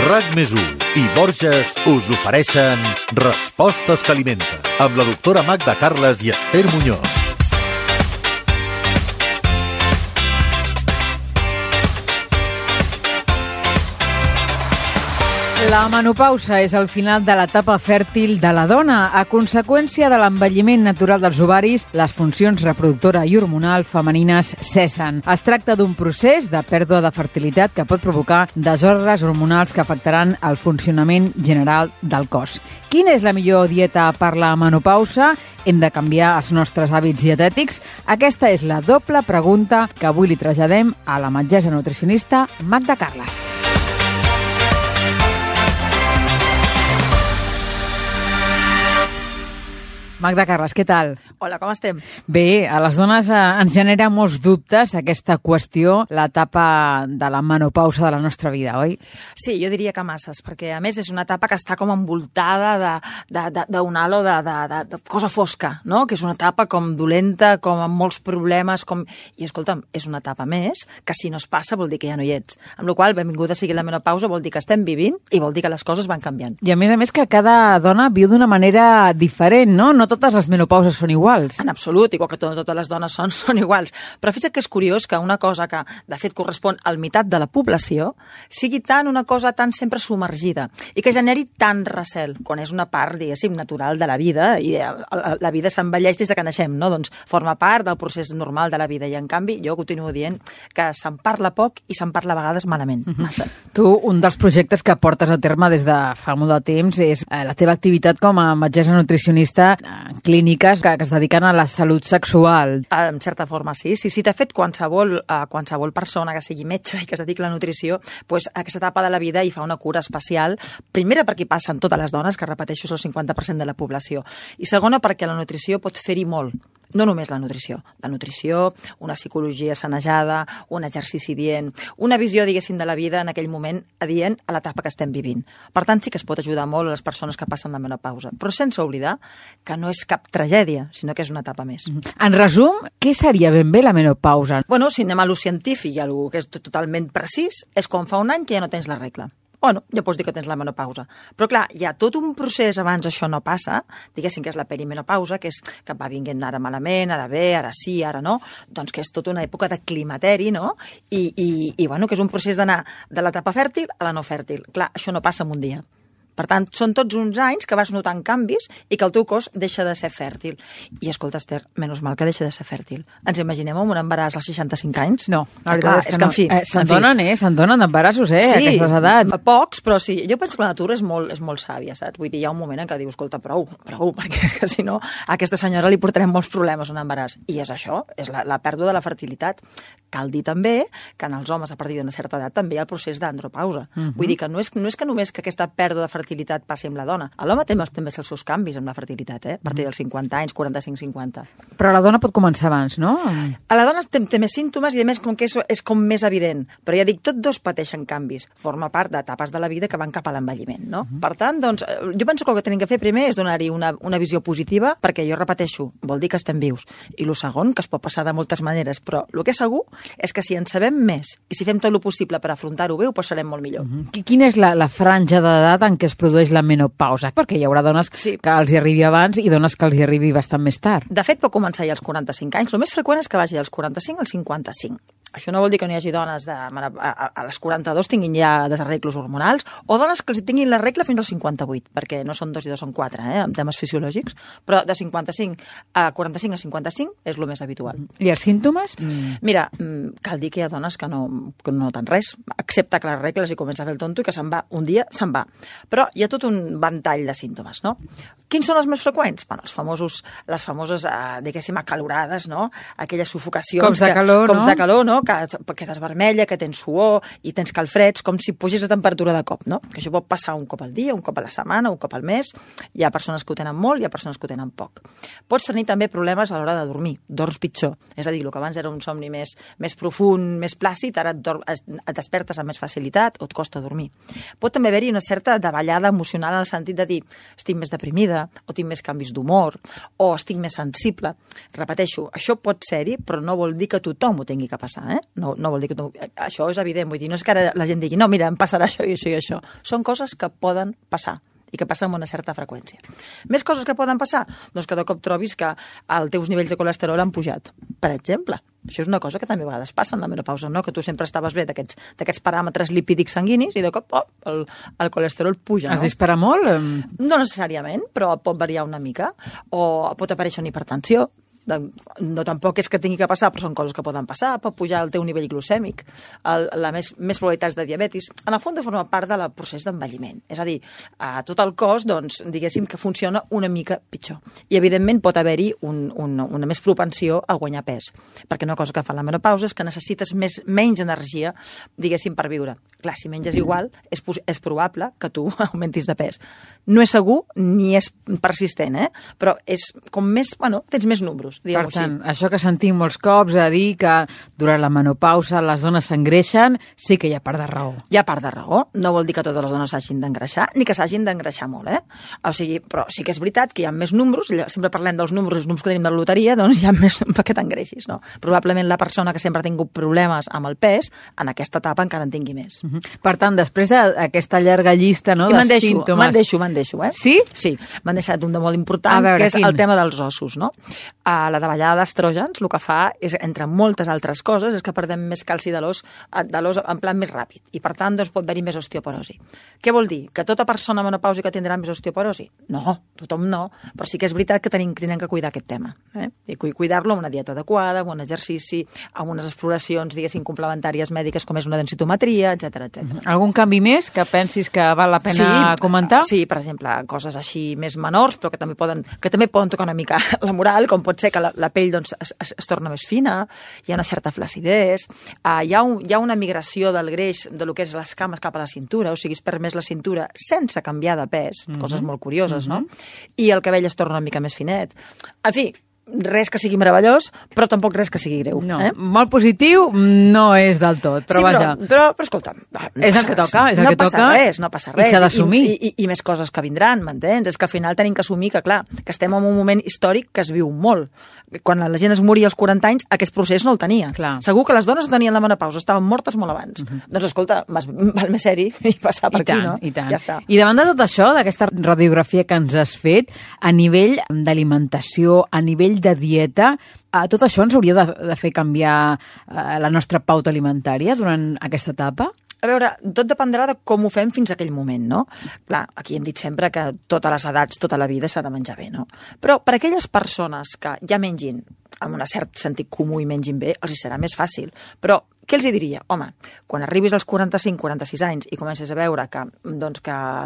RAC+1 i Borges us ofereixen Respostes que alimenten, amb la doctora Magda Carles i Esther Muñoz. La menopausa és el final de l'etapa fèrtil de la dona. A conseqüència de l'envelliment natural dels ovaris, les funcions reproductora i hormonal femenines cessen. Es tracta d'un procés de pèrdua de fertilitat que pot provocar desordres hormonals que afectaran el funcionament general del cos. Quina és la millor dieta per la menopausa? Hem de canviar els nostres hàbits dietètics? Aquesta és la doble pregunta que avui li traslladem a la metgessa nutricionista Magda Carles. Magda Carles, què tal? Hola, com estem? Bé, a les dones ens genera molts dubtes aquesta qüestió, l'etapa de la menopausa de la nostra vida, oi? Sí, jo diria que masses, perquè a més és una etapa que està com envoltada d'un halo de cosa fosca, no? Que és una etapa com dolenta, com amb molts problemes, I escolta'm, és una etapa més que si no es passa vol dir que ja no hi ets. Amb la qual cosa, benvinguda sigui la menopausa, vol dir que estem vivint i vol dir que les coses van canviant. I a més que cada dona viu d'una manera diferent, no? No totes les menopauses són iguals. En absolut, igual que totes les dones són iguals. Però fixa't que és curiós que una cosa que, de fet, correspon al meitat de la població sigui una cosa tan sempre submergida i que generi tant recel, quan és una part, diguéssim, natural de la vida, i la vida s'envelleix des que naixem, no? Doncs forma part del procés normal de la vida, i en canvi jo continuo dient que se'n parla poc i se'n parla a vegades malament. Massa. Tu, un dels projectes que portes a terme des de fa molt de temps és la teva activitat com a metgessa nutricionista en clíniques que es dediquen a la salut sexual. En certa forma, sí. De fet, qualsevol persona que sigui metge i que es dediqui a la nutrició, doncs aquesta etapa de la vida hi fa una cura especial. Primera, perquè hi passen totes les dones, que repeteixo, és el 50% de la població. I segona, perquè la nutrició pot fer-hi molt. No només la nutrició. La nutrició, una psicologia sanejada, un exercici dient, una visió, diguéssim, de la vida en aquell moment adient a l'etapa que estem vivint. Per tant, sí que es pot ajudar molt a les persones que passen la menopausa, però sense oblidar que no és cap tragèdia, sinó que és una etapa més. En resum, què seria ben bé la menopausa? Bueno, si anem a lo científic i a lo que és totalment precís, és quan fa un any que ja no tens la regla. Bueno, ja pots dir que tens la menopausa. Però clar, hi ha tot un procés abans això no passa, diguéssim que és la perimenopausa, que és que va vinguent ara malament, ara bé, ara sí, ara no, doncs que és tota una època de climateri, no? I bueno, que és un procés d'anar de l'etapa fèrtil a la no fèrtil. Clar, això no passa en un dia. Per tant, són tots uns anys que vas notant canvis i que el teu cos deixa de ser fèrtil. I escolta, Esther, menys mal que deixa de ser fèrtil. Ens imaginem un embaràs als 65 anys? No, la veritat és que no. Se'n donen d'embarassos, sí, a aquestes edats. Pocs, però sí. Jo penso que la natura és molt sàvia, saps? Vull dir, hi ha un moment en què dius, escolta, prou, perquè és que si no, a aquesta senyora li portarem molts problemes un embaràs. I és això, és la pèrdua de la fertilitat. Cal dir també que en els homes, a partir d'una certa edat, també hi ha el procés d'andropausa. Vull dir que no és que només que aquesta pèrdua de fertilitat passi amb la dona. L'home també els seus canvis amb la fertilitat, a partir dels 50 anys, 45-50. Però la dona pot començar abans, no? A la dona té més símptomes i a més com que és com més evident. Però ja dic, tots dos pateixen canvis. Forma part d'etapes de la vida que van cap a l'envelliment, no? Per tant, doncs, jo penso que el que tenim que fer primer és donar-hi una visió positiva, perquè jo repeteixo, vol dir que estem vius. I el segon, que es pot passar de moltes maneres, però el que és segur és que si en sabem més i si fem tot el possible per afrontar-ho bé, ho passarem molt millor. Quina és la franja d'edat en què es produeix la menopausa? Perquè hi haurà dones que els hi arribi abans i dones que els hi arribi bastant més tard. De fet, pot començar ja als 45 anys. El més freqüent és que vagi dels 45 als 55. Això no vol dir que no hi hagi dones a les 42 tinguin ja desarreglos hormonals o dones que els tinguin la regla fins als 58, perquè no són 2 i 2 són 4, en temes fisiològics, però de 55 a 45 a 55 és el més habitual. I els símptomes? Mira, cal dir que hi ha dones que no noten res, excepte que les regles i comença a fer el tonto i que se'n va, un dia se'n va. Però hi ha tot un ventall de símptomes, no? Quins són els més freqüents? Bueno, les famoses, diguéssim, acalorades, no? Aquelles sufocacions... Cops de calor, no? Que quedes vermella, que tens suor i tens calfreds, com si pugis la temperatura de cop, no? Que això pot passar un cop al dia, un cop a la setmana, un cop al mes. Hi ha persones que ho tenen molt, hi ha persones que ho tenen poc. Pots tenir també problemes a l'hora de dormir, dors pitjor. És a dir, el que abans era un somni més profund, més plàcid, ara et despertes amb més facilitat o et costa dormir. Pot també haver-hi una certa davallada emocional en el sentit de dir estic més deprimida, o tinc més canvis d'humor, o estic més sensible. Repeteixo, això pot ser-hi, però no vol dir que tothom ho tingui que passar, passa, No vol dir que això és evident, vull dir, no és que ara la gent digui no, mira, em passarà això i això i això. Són coses que poden passar i que passen amb una certa freqüència. Més coses que poden passar? Doncs que de cop trobis que els teus nivells de colesterol han pujat, per exemple. Això és una cosa que també a vegades passa en la menopausa, no? Que tu sempre estaves bé d'aquests paràmetres lipídics sanguinis i de cop el colesterol puja. Es dispara molt? No necessàriament, però pot variar una mica. O pot aparèixer una hipertensió. No tampoc és que tingui que passar, però són coses que poden passar. Pot pujar el teu nivell glucèmic, més probabilitats de diabetis. En el fons, forma part del procés d'envelliment. És a dir, tot el cos, doncs, diguéssim que funciona una mica pitjor. I, evidentment, pot haver-hi una més propensió a guanyar pes. Perquè una cosa que fa la menopausa és que necessites menys energia, diguéssim, per viure. Clar, si menges igual, és probable que tu augmentis de pes. No és segur ni és persistent, però és com més, tens més números. Per tant, això que sentim molts cops a dir que durant la menopausa les dones s'engreixen, sí que hi ha part de raó. Hi ha part de raó. No vol dir que totes les dones s'hagin d'engreixar, ni que s'hagin d'engreixar molt, O sigui, però sí que és veritat que hi ha més números, sempre parlem dels números, els números que tenim de la loteria, doncs hi ha més perquè t'engreixis, no? Probablement la persona que sempre ha tingut problemes amb el pes, en aquesta etapa encara en tingui més. Per tant, després d'aquesta llarga llista, no, de símptomes... Me'n deixo, Sí? Sí, m'han deixat un de molt important, que és el tema dels ossos, no? La davallada d'estrògens el que fa és, entre moltes altres coses, és que perdem més calci de l'os en plan més ràpid. I, per tant, doncs, pot haver-hi més osteoporosi. Què vol dir? Que tota persona menopàusica tindrà més osteoporosi? No, tothom no. Però sí que és veritat que tenim que cuidar aquest tema. I cuidar-lo amb una dieta adequada, amb un exercici, amb unes exploracions, diguéssim, complementàries mèdiques, com és una densitometria, etc. Algun canvi més que pensis que val la pena comentar? Sí, per exemple, coses així més menors, però que també poden tocar una mica la moral, com pot ser que la pell doncs, es torna més fina, hi ha una certa flacidesa, hi ha una migració del greix de lo que és les cames cap a la cintura, o sigui, es perd més la cintura sense canviar de pes, coses molt curioses, no? I el cabell es torna una mica més finet. En fi, res que sigui meravellós, però tampoc res que sigui greu. No, molt positiu no és del tot, però vaja. Però escolta... És el que toca, és el que toca. No passa res. I s'ha d'assumir. I més coses que vindran, m'entens? És que al final tenim que assumir que, clar, que estem en un moment històric que es viu molt. Quan la gent es moria als 40 anys, aquest procés no el tenia. Clar. Segur que les dones no tenien la menopausa, estaven mortes molt abans. Doncs escolta, val més ser-hi i passar per aquí, no? I tant. Ja està. I davant de tot això, d'aquesta radiografia que ens has fet, a nivell d'alimentació, a nivell de dieta, tot això ens hauria de fer canviar la nostra pauta alimentària durant aquesta etapa? A veure, tot dependrà de com ho fem fins a aquell moment, no? Clar, aquí hem dit sempre que totes les edats, tota la vida s'ha de menjar bé, no? Però per a aquelles persones que ja mengin amb un cert sentit comú i mengin bé, els hi serà més fàcil. Però què els hi diria? Home, quan arribis als 45-46 anys i comences a veure que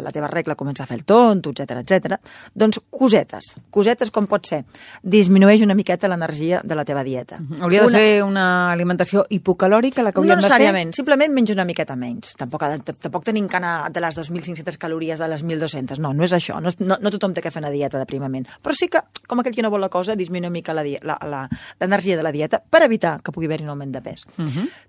la teva regla comença a fer el tonto, etc, doncs cosetes com pot ser, disminueix una miqueta l'energia de la teva dieta. Hauria de ser una alimentació hipocalòrica la que hauríem de fer? No necessàriament, simplement menja una miqueta menys. Tampoc tenim que anar de les 2.500 calories a les 1.200. No és això. No tothom té que fer una dieta d'aprimament. Però sí que, com aquell que no vol la cosa, disminuir una mica l'energia de la dieta per evitar que pugui haver-hi un augment de pes.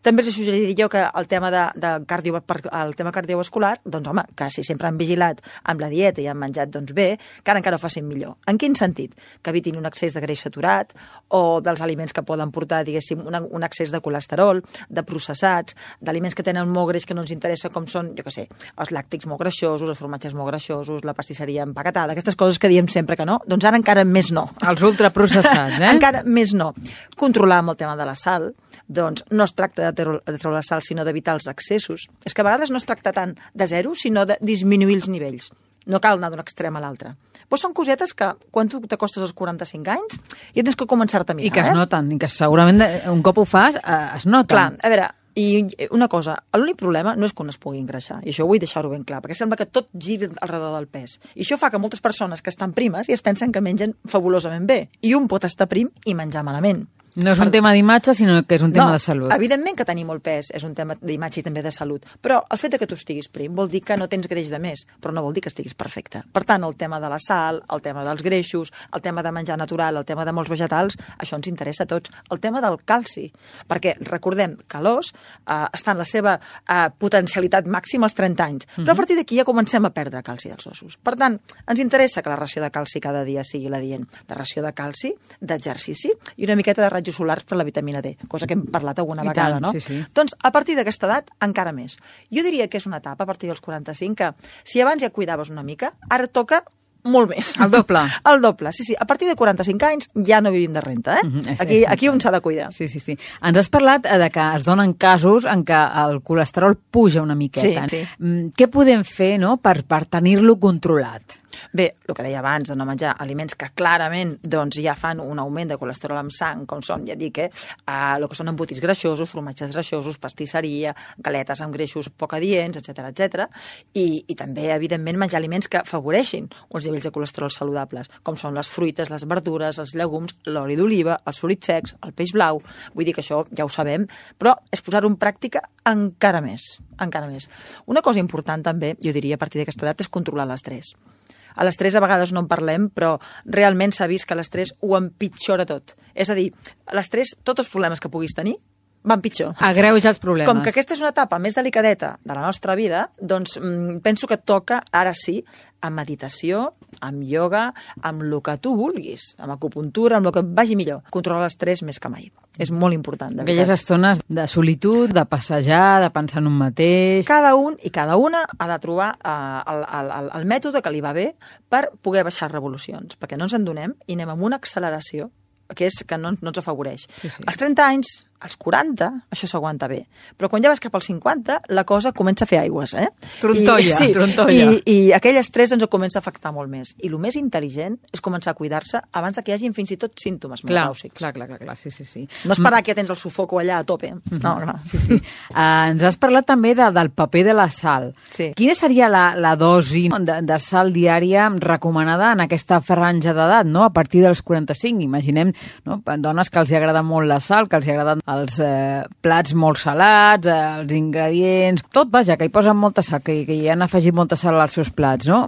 També els suggeriria jo que el tema el tema cardiovascular, doncs home, que si sempre han vigilat amb la dieta i han menjat bé, que ara encara ho facin millor. En quin sentit? Que evitin un excés de greix saturat o dels aliments que poden portar, diguéssim, un excés de colesterol, de processats, d'aliments que tenen molt greix que no ens interessa, com són, jo què sé, els làctics molt greixosos, els formatges molt greixosos, la pastisseria empaquetada, aquestes coses que diem sempre que no, doncs ara encara més no. Els ultraprocessats, Encara més no. Controlar amb el tema de la sal, doncs no es tracta de treure la sal, sinó d'evitar els excessos. És que a vegades no es tracta tant de zero, sinó de disminuir els nivells. No cal anar d'un extrem a l'altre. Però són cosetes que, quan tu t'acostes als 45 anys, ja tens que començar-te a mirar. I que es noten, i que segurament un cop ho fas, es noten. Clar, a veure, i una cosa, l'únic problema no és que un es pugui engreixar, i això vull deixar-ho ben clar, perquè sembla que tot gira alrededor del pes. I això fa que moltes persones que estan primes i es pensen que mengen fabulosament bé, i un pot estar prim i menjar malament. No és un tema d'imatge, sinó que és un tema de salut. Evidentment que tenir molt pes és un tema d'imatge i també de salut, però el fet que tu estiguis prim vol dir que no tens greix de més, però no vol dir que estiguis perfecte. Per tant, el tema de la sal, el tema dels greixos, el tema de menjar natural, el tema de molts vegetals, això ens interessa a tots. El tema del calci, perquè recordem que l'os està en la seva potencialitat màxima als 30 anys, però a partir d'aquí ja comencem a perdre calci dels ossos. Per tant, ens interessa que la ració de calci cada dia sigui la dient. La ració de calci, d'exercici i una miqueta de rajos solars per la vitamina D, cosa que hem parlat alguna vegada, tant, no? sí. Doncs a partir d'aquesta edat encara més. Jo diria que és una etapa a partir dels 45 que si abans ja cuidaves una mica, ara toca molt més. El doble. El doble, sí. A partir de 45 anys ja no vivim de renta, Aquí un s'ha de cuidar. Sí. Ens has parlat de que es donen casos en què el colesterol puja una miqueta. Sí. Què podem fer, no?, per tenir-lo controlat? Bé, el que deia abans, de no menjar aliments que clarament doncs, ja fan un augment de colesterol en sang, com són, ja dic, el que són embotits greixosos, formatges greixosos, pastisseria, galetes amb greixos poc adients, etc. I també, evidentment, menjar aliments que afavoreixin uns nivells de colesterol saludables, com són les fruites, les verdures, els llegums, l'oli d'oliva, els fruits secs, el peix blau. Vull dir que això ja ho sabem, però és posar-ho en pràctica encara més. Una cosa important també, jo diria, a partir d'aquesta edat, és controlar l'estrès. A l'estrès a vegades no en parlem, però realment s'ha vist que l'estrès ho empitjora tot. És a dir, l'estrès, tots els problemes que puguis tenir, van pitjor. Agreuja els problemes. Com que aquesta és una etapa més delicadeta de la nostra vida, doncs penso que toca, ara sí, amb meditació, amb ioga, amb el que tu vulguis, amb acupuntura, amb el que et vagi millor. Controlar l'estrès més que mai. És molt important, de veritat. Aquelles estones de solitud, de passejar, de pensar en un mateix... Cada un i cada una ha de trobar el mètode que li va bé per poder baixar revolucions, perquè no ens en donem i anem amb una acceleració que no ens afavoreix. Sí. Als 30 anys, als 40, això s'aguanta bé. Però quan ja vas cap als 50, la cosa comença a fer aigües, Trontolla. I aquell estrès ens ho comença a afectar molt més. I el més intel·ligent és començar a cuidar-se abans que hi hagin fins i tot símptomes menopàusics. Clar, sí. No esperar que tens el sufoco allà a tope. No, clar. Sí. Ens has parlat també del paper de la sal. Sí. Quina seria la dosi de sal diària recomanada en aquesta franja d'edat, no? A partir dels 45, imaginem, no? Dones que els agrada molt la sal, que els agraden els plats molt salats, els ingredients, tot, vaja, que hi posen molta sal, que hi han afegit molta sal als seus plats, no?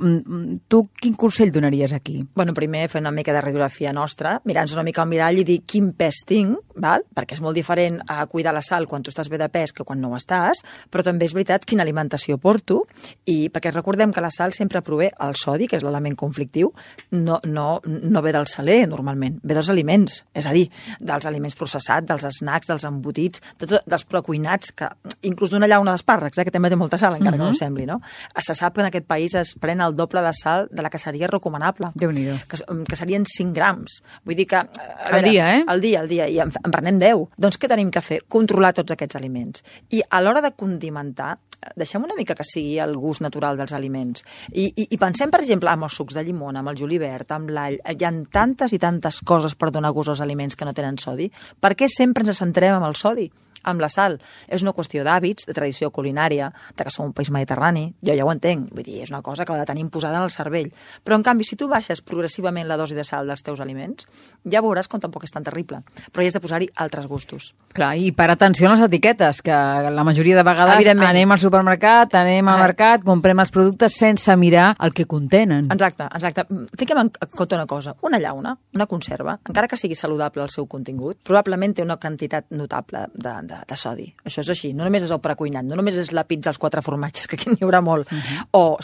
Tu quin consell donaries aquí? Bueno, primer fer una mica de radiografia nostra, mirar-nos una mica al mirall i dir quin pes tinc, val? Perquè és molt diferent a cuidar la sal quan tu estàs bé de pes que quan no ho estàs, però també és veritat quina alimentació porto, i perquè recordem que la sal sempre prové el sodi, que és l'element conflictiu, no ve del saler, normalment, ve dels aliments, és a dir, dels aliments processats, dels snacks, dels embotits, dels precuinats, que inclús d'una llauna d'espàrrecs, que també té molta sal, encara que no ho sembli, no? Se sap que en aquest país es pren el doble de sal de la que seria recomanable. Déu-n'hi-do. Que serien 5 grams. Vull dir que... Al dia, Al dia, i en prenem 10. Doncs què tenim que fer? Controlar tots aquests aliments. I a l'hora de condimentar, deixem una mica que sigui el gust natural dels aliments. I pensem, per exemple, amb els sucs de llimona, amb el julivert, amb l'all. Hi ha tantes i tantes coses per donar gust als aliments que no tenen sodi. Per què sempre ens centrem amb el sodi? Amb la sal. És una qüestió d'hàbits, de tradició culinària, de que som un país mediterrani. Jo ja ho entenc. Vull dir, és una cosa que la tenim posada en el cervell. Però, en canvi, si tu baixes progressivament la dosi de sal dels teus aliments, ja veuràs com tampoc és tan terrible. Però hi has de posar-hi altres gustos. Clar, i per atenció a les etiquetes, que la majoria de vegades anem al supermercat, anem al mercat, comprem els productes sense mirar el que contenen. Exacte. Fiquem en compte una cosa. Una llauna, una conserva, encara que sigui saludable el seu contingut, probablement té una quantitat notable de sodi. Això és així. No només és el precuinat, no només és la pizza als 4 formatges, que aquí n'hi haurà molt. O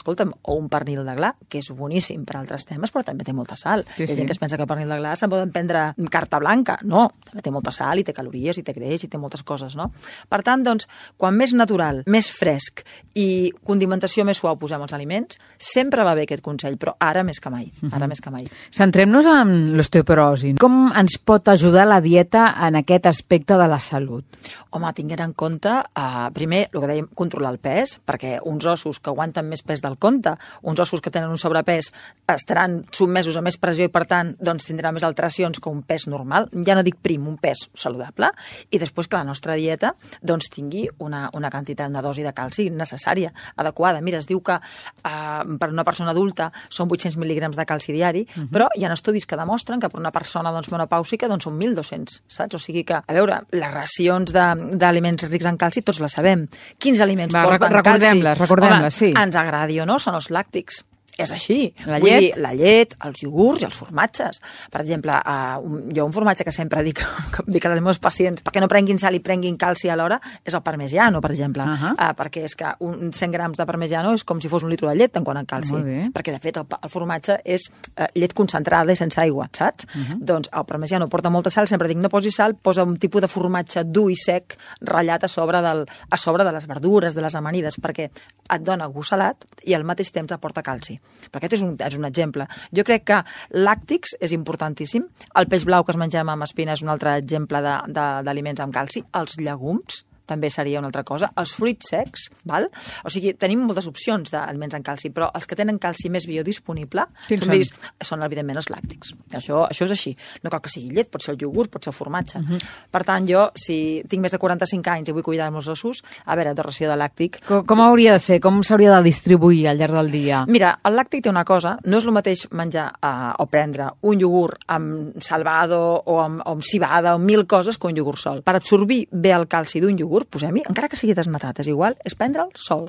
un pernil de gla, que és boníssim per altres temes, però també té molta sal. Hi ha gent que es pensa que el pernil de gla se'n poden prendre carta blanca. No, també té molta sal i té calories i té greix i té moltes coses, no? Per tant, doncs, quan més natural, més fresc i condimentació més suau posem els aliments, sempre va bé aquest consell, però ara més que mai. Centrem-nos en l'osteoporosi. Com ens pot ajudar la dieta en aquest aspecte de la salut? Home, tinguent en compte, primer, el que dèiem, controlar el pes, perquè uns ossos que aguanten més pes del compte, uns ossos que tenen un sobrepès, estaran sotmesos a més pressió i, per tant, doncs, tindran més alteracions que un pes normal. Ja no dic prim, un pes saludable. I després que la nostra dieta doncs, tingui una quantitat, una dosi de calci necessària, adequada. Mira, es diu que per una persona adulta són 800 mil·lígrams de calci diari, però hi ha estudis que demostren que per una persona menopàusica doncs, són 1.200, saps? O sigui que, a veure, les racions d'aliments rics en calci tots la sabem. Quins aliments porten calci? Recordem-les, sí. Ens agradi o no, són els làctics. és així. La Vull llet? dir, la llet, els iogurts i els formatges. Per exemple, jo un formatge que sempre dic als meus pacients perquè no prenguin sal i prenguin calci alhora és el parmigiano, per exemple. Perquè és que un 100 grams de parmigiano és com si fos un litre de llet en quant a calci. Perquè, de fet, el formatge és llet concentrada i sense aigua, saps? Doncs el parmigiano porta molta sal, sempre dic no posi sal, posa un tipus de formatge dur i sec ratllat a sobre de les verdures, de les amanides, perquè et dona gust salat i al mateix temps aporta calci. Però aquest és un exemple. Jo crec que làctics és importantíssim. El peix blau que es mengem amb espina és un altre exemple d'aliments amb calci. Els llegums també seria una altra cosa. Els fruits secs, val? O sigui, tenim moltes opcions d'aliments amb calci, però els que tenen calci més biodisponible són evidentment els làctics. Això és així. No cal que sigui llet, pot ser el iogurt, pot ser el formatge. Per tant, jo, si tinc més de 45 anys i vull cuidar els meus ossos, a veure, de ració de làctic... Com hauria de ser? Com s'hauria de distribuir al llarg del dia? Mira, el làctic té una cosa, no és el mateix menjar o prendre un iogurt amb salvado o amb cibada o 1000 coses que un iogurt sol. Per absorbir bé el calci d'un iogurt, posem-hi, encara que sigui desnatat, és igual, és prendre'l sol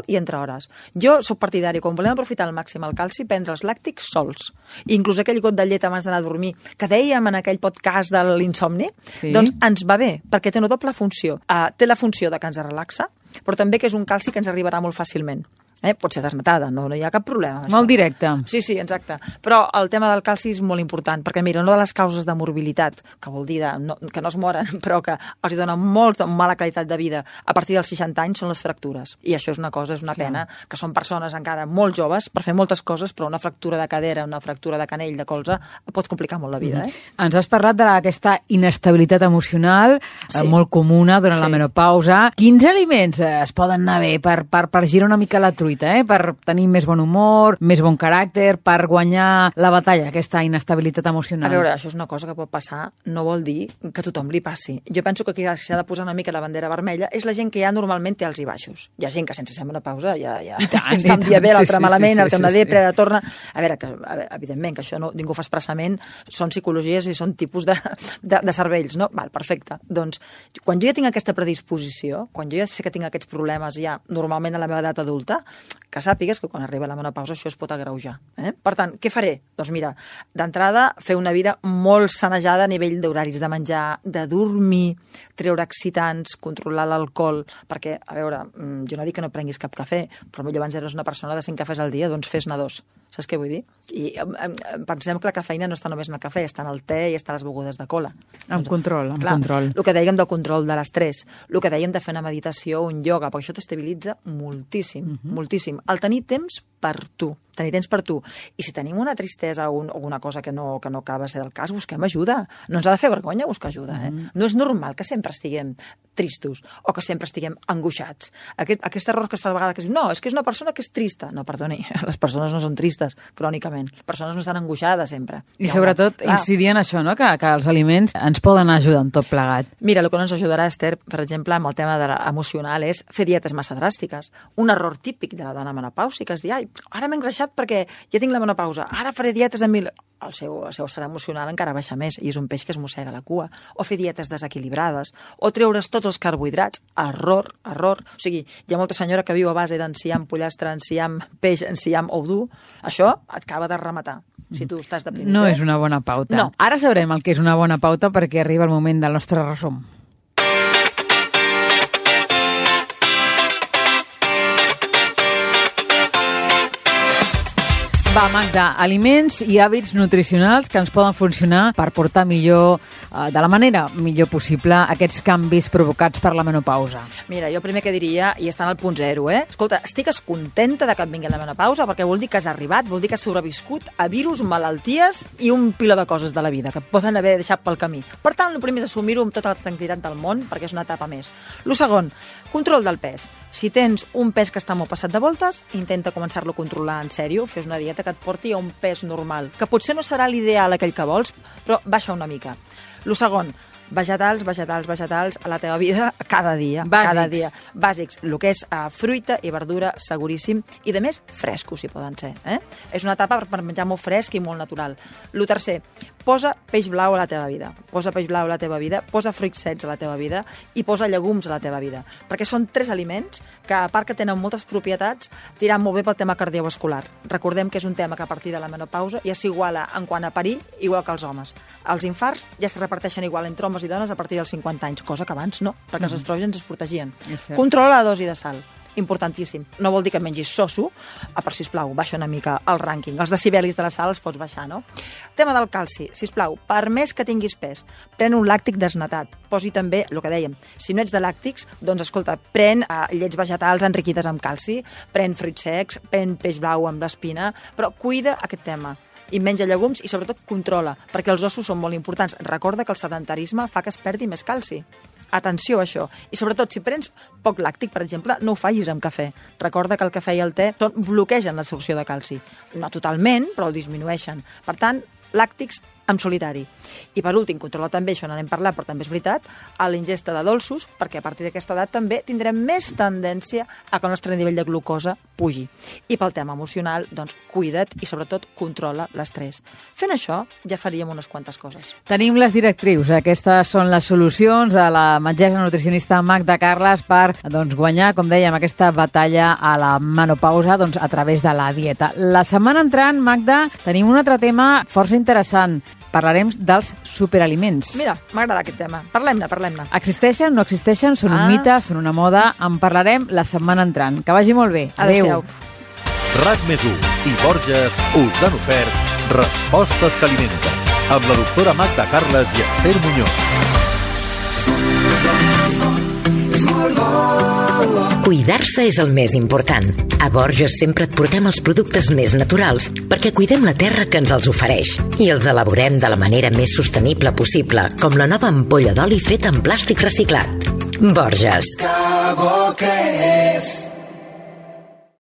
i entre hores. Jo soc partidari, quan volem aprofitar al màxim el calci, prendre els làctics sols. Inclús aquell got de llet abans d'anar a dormir, que dèiem en aquell podcast de l'insomni, doncs ens va bé, perquè té una doble funció. Té la funció de que ens relaxa, però també que és un calci que ens arribarà molt fàcilment. Pot ser desnatada, no hi ha cap problema. Molt directe. Sí, exacte. Però el tema del calci és molt important, perquè mira, una de les causes de morbilitat, que vol dir que no es moren, però que els dona molt mala qualitat de vida a partir dels 60 anys, són les fractures. I això és una pena, que són persones encara molt joves per fer moltes coses, però una fractura de cadera, una fractura de canell, de colze, pot complicar molt la vida. Ens has parlat d'aquesta inestabilitat emocional, molt comuna durant la menopausa. Quins aliments es poden anar bé per girar una mica la truita? Per tenir més bon humor, més bon caràcter, per guanyar la batalla, aquesta inestabilitat emocional. A veure, això és una cosa que pot passar, no vol dir que a tothom li passi. Jo penso que qui s'ha de posar una mica la bandera vermella és la gent que ja normalment té alts i baixos. Hi ha gent que sense ser menopausa ja està un dia bé, l'altre malament, el que una depre, la torna... A veure, evidentment, que això ningú fa expressament, són psicologies i són tipus de cervells, no? Val, perfecte. Doncs, quan jo ja tinc aquesta predisposició, quan jo ja sé que tinc aquests problemes ja normalment a la meva edat adulta, que sàpigues que quan arriba la menopausa això es pot agreujar. Per tant, què faré? Doncs mira, d'entrada, fer una vida molt sanejada a nivell d'horaris de menjar, de dormir, treure excitants, controlar l'alcohol, perquè, a veure, jo no dic que no prenguis cap cafè, però potser abans eres una persona de 5 cafès al dia, doncs fes-ne 2. Saps què vull dir? I pensem que la cafeïna no està només en el cafè, està en el te i està a les begudes de cola. Amb control. El que dèiem del control de l'estrès, el que dèiem de fer una meditació o un ioga, perquè això t'estabilitza moltíssim, moltíssim. El tenir temps per tu. I si tenim una tristesa o alguna cosa que no acaba de ser del cas, busquem ajuda. No ens ha de fer vergonya buscar ajuda. No és normal que sempre estiguem tristos o que sempre estiguem angoixats. Aquest error que es fa a vegades, que es diu, no, és que és una persona que és trista. No, perdoni, les persones no són tristes crònicament. Les persones no estan angoixades sempre. I sobretot incidir en això, no? Que els aliments ens poden ajudar en tot plegat. Mira, el que no ens ajudarà, Esther, per exemple, amb el tema emocional, és fer dietes massa dràstiques. Un error típic de la dona menopàusica és dir, ai, ara m'he engreixat perquè ja tinc la menopausa, ara faré dietes amb el seu estat emocional encara baixa més i és un peix que es mossega la cua. O fer dietes desequilibrades, o treure's tots els carbohidrats. Error. O sigui, hi ha molta senyora que viu a base d'enciam, pollastre, enciam, peix, enciam ou dur. Això et acaba de rematar. Si tu estàs deprimit. No és una bona pauta. No. Ara sabrem el que és una bona pauta perquè arriba el moment del nostre resum. Va, Magda, aliments i hàbits nutricionals que ens poden funcionar per portar millor, de la manera millor possible, aquests canvis provocats per la menopausa. Mira, jo el primer que diria, i estan al punt zero, escolta, estigues contenta de que et vingui la menopausa perquè vol dir que has arribat, vol dir que has sobreviscut a virus, malalties i un pila de coses de la vida que et poden haver deixat pel camí. Per tant, el primer és assumir-ho amb tota la tranquil·litat del món perquè és una etapa més. El segon, control del pes. Si tens un pes que està molt passat de voltes, intenta començar-lo a controlar en sèrio, fes una dieta que et porti a un pes normal, que potser no serà l'ideal aquell que vols, però baixa una mica. El segon, vegetals a la teva vida cada dia. Bàsics. El que és fruita i verdura, seguríssim, i de més, frescos, si poden ser. És una etapa per menjar molt fresc i molt natural. El tercer, posa peix blau a la teva vida, posa peix blau a la teva vida, posa fruits secs a la teva vida i posa llegums a la teva vida, perquè són 3 aliments que, a part que tenen moltes propietats, tiran molt bé pel tema cardiovascular. Recordem que és un tema que a partir de la menopausa ja s'iguala en quant a perill, igual que els homes. Els infarts ja se reparteixen igual entre homes i dones a partir dels 50 anys, cosa que abans no, perquè els estrògens es protegien. Controla la dosi de sal. Importantíssim. No vol dir que mengis soso, però, sisplau, baixa una mica el rànquing. Els decibelis de la sal els pots baixar, no? Tema del calci. Sisplau, per més que tinguis pes, pren un làctic desnatat. Posi també, el que dèiem, si no ets de làctics, doncs, escolta, pren llets vegetals enriquides amb calci, pren fruits secs, pren peix blau amb l'espina, però cuida aquest tema. I menja llegums i, sobretot, controla, perquè els ossos són molt importants. Recorda que el sedentarisme fa que es perdi més calci. Atenció a això. I, sobretot, si prens poc làctic, per exemple, no ho facis amb cafè. Recorda que el cafè i el te bloquegen l'absorció de calci. No totalment, però el disminueixen. Per tant, làctics en solitari. I per últim, controla també, això n'hem parlat, però també és veritat, a l'ingesta de dolços, perquè a partir d'aquesta edat també tindrem més tendència a que el nostre nivell de glucosa pugi. I pel tema emocional, doncs, cuida't i sobretot controla l'estrès. Fent això, ja faríem unes quantes coses. Tenim les directrius. Aquestes són les solucions de la metgessa nutricionista Magda Carles per guanyar, com dèiem, aquesta batalla a la menopausa a través de la dieta. La setmana entrant, Magda, tenim un altre tema força interessant. Parlarem dels superaliments. Mira, m'agrada aquest tema. Parlem-ne. Existeixen, no existeixen, són un mite, són una moda. En parlarem la setmana entrant. Que vagi molt bé. Adéu. RAC+1 i Borges us han ofert Respostes que alimenten, amb la doctora Magda Carles i Esther Muñoz. Cuidar-se és el més important. A Borges sempre et portem els productes més naturals perquè cuidem la terra que ens els ofereix i els elaborem de la manera més sostenible possible, com la nova ampolla d'oli feta en plàstic reciclat. Borges. Que bo que és!